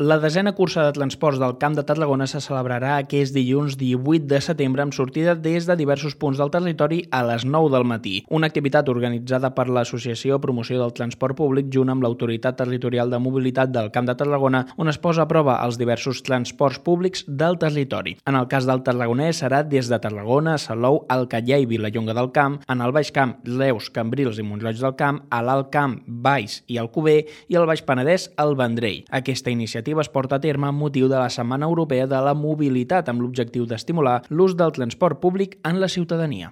La 10a cursa de transports del Camp de Tarragona se celebrarà aquest dilluns 18 de setembre amb sortida des de diversos punts del territori a les 9 del matí. Una activitat organitzada per l'Associació Promoció del Transport Públic junt amb l'Autoritat Territorial de Mobilitat del Camp de Tarragona, on es posa a prova els diversos transports públics del territori. En el cas del tarragonès serà des de Tarragona, Salou, Alcaller i Vilallonga del Camp, en el Baix Camp, Reus, Cambrils i Mont-roig del Camp, a l'Alt Camp, Valls i Alcover i al Baix Penedès, el Vendrell. Aquesta iniciativa es porta a terme amb motiu de la Setmana Europea de la Mobilitat amb l'objectiu d'estimular l'ús del transport públic en la ciutadania.